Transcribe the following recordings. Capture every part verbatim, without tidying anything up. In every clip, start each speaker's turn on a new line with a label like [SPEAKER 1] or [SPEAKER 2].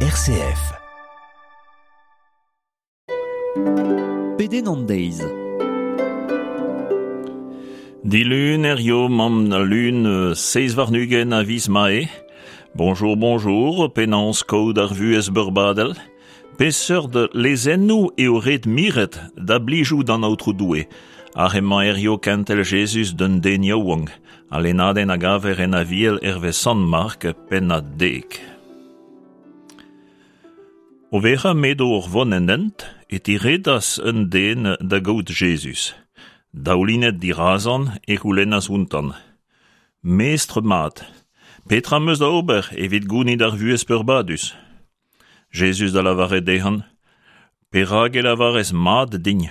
[SPEAKER 1] R C F.
[SPEAKER 2] Pedenn an deiz.
[SPEAKER 3] Dilun hirio 'maomp al lun seizh warn-ugent a viz Mae. Bonjour, bonjour, penaos kaout ar vuhez beurbadel? Peseurt lezennoù eo ret miret da blijout d'an Aotrou Doue? Ar emañ hirio kentel Jezuz d'un den yaouank. Al lennadenn a gaver en Aviel hervez Sant Mark, pennad dek. O vezañ m'edo o vont en hent, e tiredas un den da gaout Jezuz. Daoulinet dirazan e c'houlennas ountan. Mestr mat, petra 'm eus da ober evit gounit ar vuhez peurbadus? Jezuz da lavaret dezhan, Perak e lavarez mat din?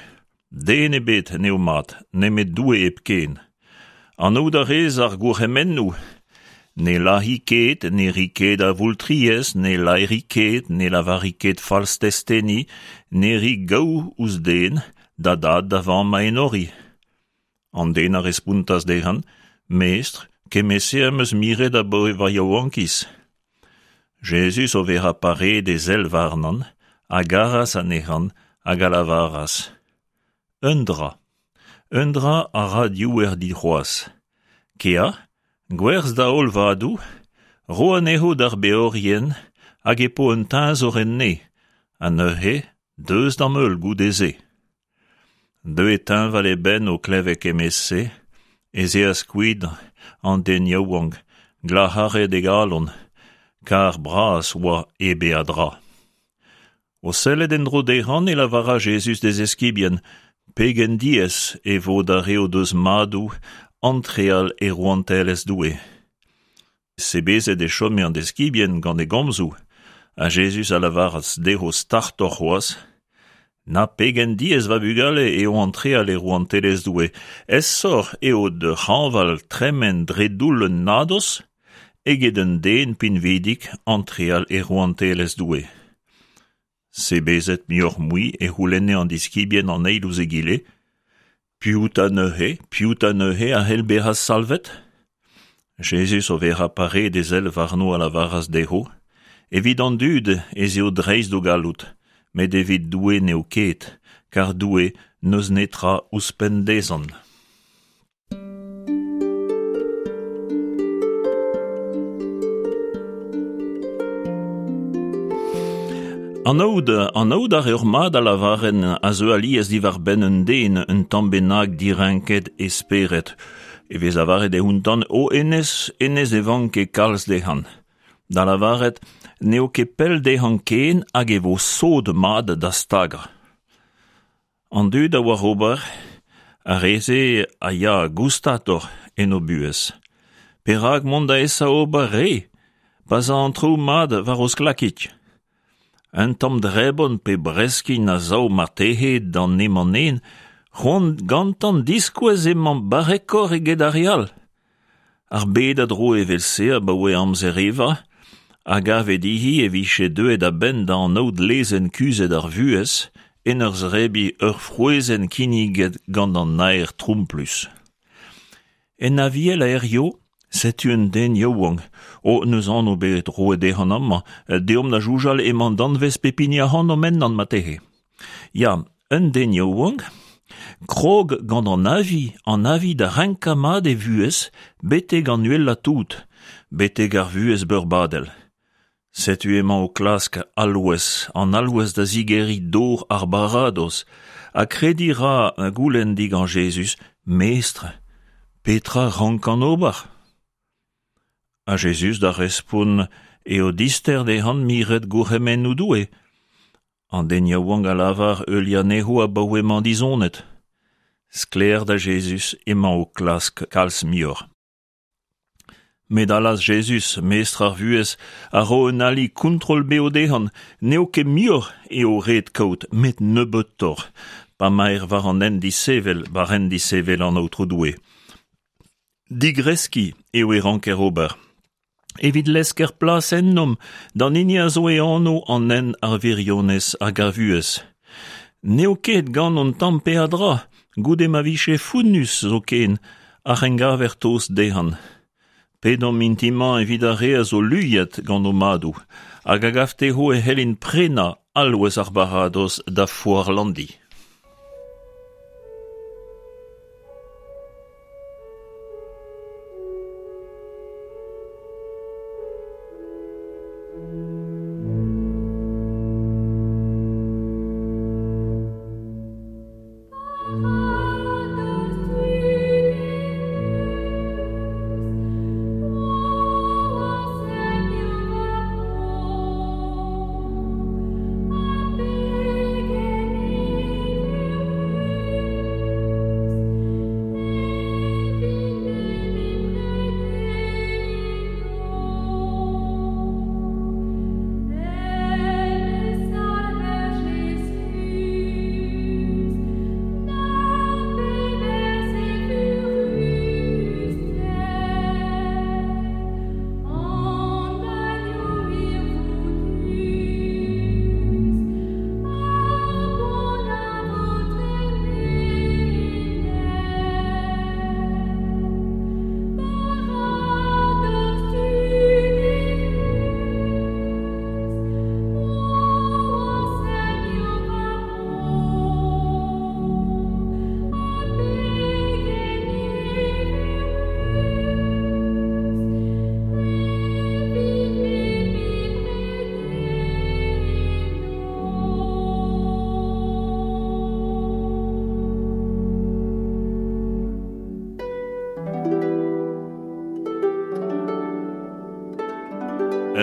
[SPEAKER 3] Den ebet n'eo mat, nemet Doue hepken. Anaout a rez ar gourc'hemennoù. Ne lazhi ket, ne ri ket avoultriezh, ne laeri ket, ne lavari ket falstesteni, ne ri gaou ouzh den, da dad da vamm a enori. An den a respontas dezhan, Mestr, kement-se am eus miret abaoe va yaouankiz. Jezuz o vezañ paret e sell warnan, a garas anezhan hag a lavaras. Un dra. Un dra a ra diouer dit c'hoazh. Kea, gwerzh da holl vadoù, ro anezho d'ar beorien hag e po un teñzor en neñv, ha neuze deus d'am heul goude-se. Deuet teñval e benn o klevet kement-se, ez eas kuit an den yaouank, glac'haret e galon, kar bras oa e beadra. O sellet en-dro dezhan e lavaras Jezuz d'e zeskibien, pegen diaes e vo d'ar re o deus madoù antreal e rouantelezh Doue. Sebezet e chome an deskibien gant e gomzoù, ha Jezuz a lavaras dezho startoc'h c'hoazh, Na pegen diaes va bugale eo antreal e rouantelezh Doue, aesoc'h eo d'ur c'hañval tremen dre doull un nadoz eget un den pinvidik antreal e rouantelezh Doue. Sebezet muioc'h-mui e c'houlenne an diskibien an eil ouzh egile, Piv 'ta neuze, piv 'ta neuze a c'hell bezañ salvet? Jezuz o vezañ paret e sell warno a lavaras dezho, Evit an dud ez eo dreist d'o galloud, met evit Doue n'eo ket, kar Doue n'eus netra ouzhpenn dezhan. Anaout, anaout a reoc'h mat a lavarenn a zeu alies diwar-benn un den un tamm bennak direnket e spered. E vez lavaret eo ountan o hennezh, hennezh e vank ket kalz dezhan. Da lavaret n'eo ket pell dezhan ken hag e vo sod mat da stagañ. An dud a oar ober, ar re-se a ya goustatoc'h en o buhez. Perak mont da esa ober re, pa 'z a an traoù mat war o sklakig? Un tamm drebon pe breskin a sav marteze d'an emañ-nen, c'hoant gantañ diskouez emañ barrekoc'h eget ar re all. Ar bed a dro evel-se abaoe amzer Eva, a gave dezhi e vije deuet a-benn da anaout lezenn kuzhet ar vuhez en ur zebriñ ur frouezhenn kinniget gant an naer tromplus. En Aviel a hirio, setu un den yaouank, o n'eus anv bet roet dezhan amañ, deomp da soñjal emañ danvez pep hini ac'hanomp ennañ marteze. Ya, un den yaouank, krog gant an avi, an avi da renkañ mat e vuhez betek an uhelañ tout, betek ar vuhez beurbadel. Setu emañ o klask alc'hwez, an alc'hwez da zigeriñ dor ar baradoz, ha krediñ ra goulenn digant Jezuz, Mestr, petra rankan ober? Ha Jezuz da respont eo dister dezhan miret gourc'hemennoù Doue. An den yaouank a lavar heuliañ anezho abaoe 'mañ dizonet. Sklaer da Jezuz emañ o klask kalz muioc'h. Met allaz Jezuz, mestr ar vuhez, a ro un ali kontrol-bev dezhan, n'eo ket muioc'h eo ret kaout, met nebeutoc'h, pa 'maer war an hent disevel, war hent disevel an Aotrou Doue. Digreskiñ eo e ranker ober. Evit lesker plas ennomp d'an hini a zo e anv an hent ar wirionez hag ar vuhez. N'eo ket gant hon tamm peadra, goude ma vije founnus zoken, ar c'hengaver tost dezhan. Pedomp mintin-mañ evit ar re a zo luiet gant o madoù, hag a gav dezho e c'hellint prenañ alc'hwez ar baradoz da foar Landi.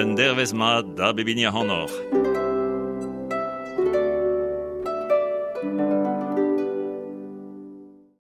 [SPEAKER 3] Un dervezh mat da bep hini ac'hanoc'h.